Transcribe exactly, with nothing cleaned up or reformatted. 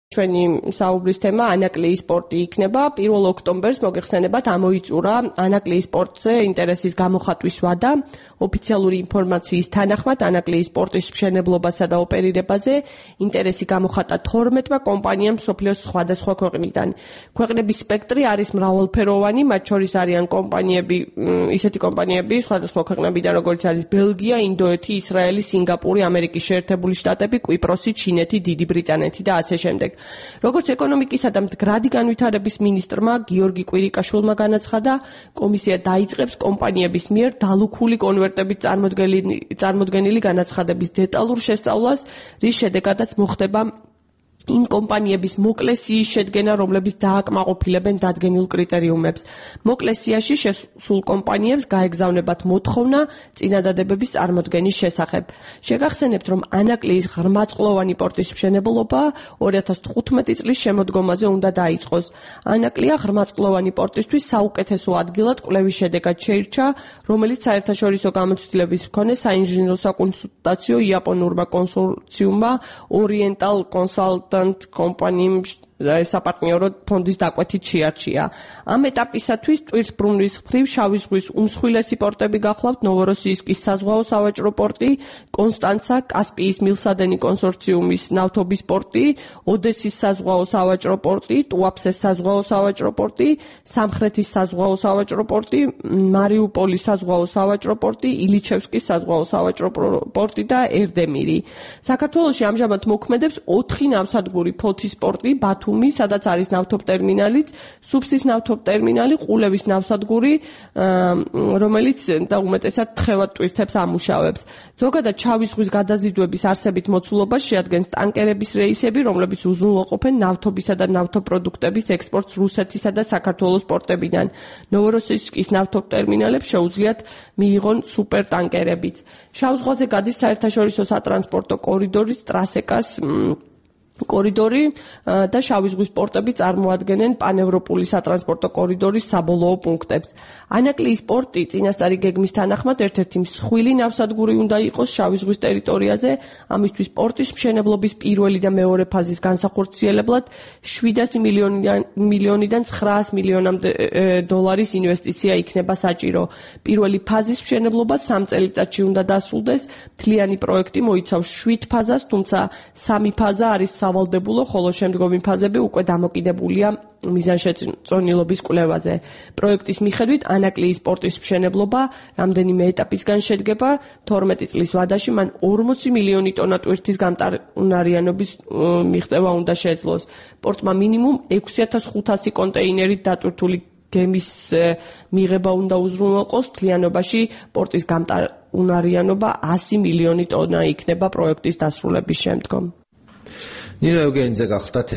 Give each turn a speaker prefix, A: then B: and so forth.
A: ჩვენი საუბრის თემა ანაკლიის სპორტი იქნება. პირველ ოქტომბერს მოგეხსენებათ ამოიწურა ანაკლიის სპორტზე ინტერესის გამოხატვის ვადა. ოფიციალური ინფორმაციის თანახმად ანაკლიის სპორტის მშენებლობასა და ოპერირებაზე ინტერესი გამოხატა თორმეტმა კომპანიამ მსოფლიოს სხვადასხვა ქვეყნიდან. ქვეყნების სპექტრი არის მრავალფეროვანი, მათ შორის არიან კომპანიები, ისეთი კომპანიები სხვადასხვა ქვეყნებიდან, როგორც არის ბელგია, ინდოეთი, ისრაელი, სინგაპური, ამერიკის შეერთებული შტატები, კვიპროსი, ჩინეთი, დიდი ბრიტანეთი და ასე შემდეგ. როგორც ეკონომიკისა და მდგრადი განვითარების მინისტრმა გიორგი კვირიკაშვილმა განაცხადა, კომისია დაიწყებს კომპანიების მიერ დალუქული კონვერტებით წარმოდგენილი განაცხადების დეტალურ შესწავლას, რის შედეგადაც მოხდება იმ კომპანიების მოკლე სიის შედგენა, რომლებიც დააკმაყოფილებენ დადგენილ კრიტერიუმებს. მოკლე სიაში შესულ კომპანიებს გაეგზავნებათ მოთხოვნა წინადადებების წარმოდგენის შესახებ. შეგახსენებთ, რომ ანაკლიის ღრმაწყლოვანი პორტის მშენებლობა ორი ათას თხუთმეტი წლის შემოდგომაზე უნდა დაიწყოს. ანაკლია ღრმაწყლოვანი პორტისთვის საუკეთესო ადგილად კვლევის შედეგად შეირჩა, რომელიც საერთაშორისო გამოცდილების მქონე საინჟინრო საკონსულტაციო იაპონურმა კონსორციუმმა Oriental Consultant კომპანიამ საპარტნიორო ფონდის დაკვეთით შეარჩია. ამ ეტაპისათვის ტვირთბრუნვის მხრივ შავი ზღვის უმსხვილესი პორტები გახლავთ ნოვოროსიისკის საზღვაო სავაჭრო პორტი, კონსტანცა, კასპიის მილსადენი კონსორციუმის ნავთობის პორტი, ოდესის საზღვაო სავაჭრო პორტი, ტუაფსეს საზღვაო სავაჭრო პორტი, სამხრეთის საზღვაო სავაჭრო პორტი, მარიუპოლის საზღვაო სავაჭრო პორტი, ილიჩევსკის საზღვაო სავაჭრო პორტი და ერდემირი. საქართველოში ამჟამად მოქმედებს ოთხი ნავსადგური: ფოთის პორტი, ბათუმი, სადაც არის ნავთობტერმინალიც, სუფსის ნავთობტერმინალი, ყულევის ნავსადგური, რომელიც და უმეტესად თხევად ტვირთებს ამუშავებს. ზოგადად შავი ზღვის გადაზიდვების არსებით მოცულობას შეადგენს ტანკერების რეისები, რომლებიც უზრუნველყოფენ ნავთობისა და ნავთობპროდუქტების ექსპორტს რუსეთისა და საქართველოს პორტებიდან. ნოვოროსიისკის ნავთობტერმინალებს შეუძლიათ მიიღონ სუპერტანკერებიც. შავ ზღვაზე გადის საერთაშორისო სატრანსპორტო კორიდორის ტრასეკას კორიდორი და შავი ზღვის პორტები წარმოადგენენ პანევროპული სატრანსპორტო კორიდორის საბოლოო პუნქტებს. ანაკლიის პორტი წინასწარი გეგმის თანახმად ერთ-ერთი მსხვილი ნავსადგური უნდა იყოს შავი ზღვის ტერიტორიაზე. ამისთვის პორტის მშენებლობის პირველი და მეორე ფაზის განსახორციელებლად შვიდასი მილიონიდან ცხრაას მილიონამდე დოლარის ინვესტიცია იქნება საჭირო. პირველი ფაზის მშენებლობა სამ წელიწადში უნდა დასრულდეს. მთლიანი პროექტი მოიცავს შვიდ ფაზას, თუმცა სამი ფაზა არის სავალდებულო, ხოლო შემდგომი ფაზები უკვე დამოკიდებულია მიზანშეწონილობის კვლევაზე. პროექტის მიხედვით ანაკლიის სპორტის მშენებლობა რამდენიმე ეტაპისგან შედგება. თორმეტი წლის ვადაში მან ორმოცი მილიონი ტონა ტვირთის გამტარუნარიანობის მიღწევა უნდა შეძლოს. პორტმა მინიმუმ ექვსი ათას ხუთასი კონტეინერით დატვირთული გემის მიღება უნდა უზრუნველყოს. მთლიანობაში პორტის გამტარუნარიანობა ასი მილიონი ტონა იქნება პროექტის დასრულების შემდგომ.
B: ნინო ევგენიძე გახლდათ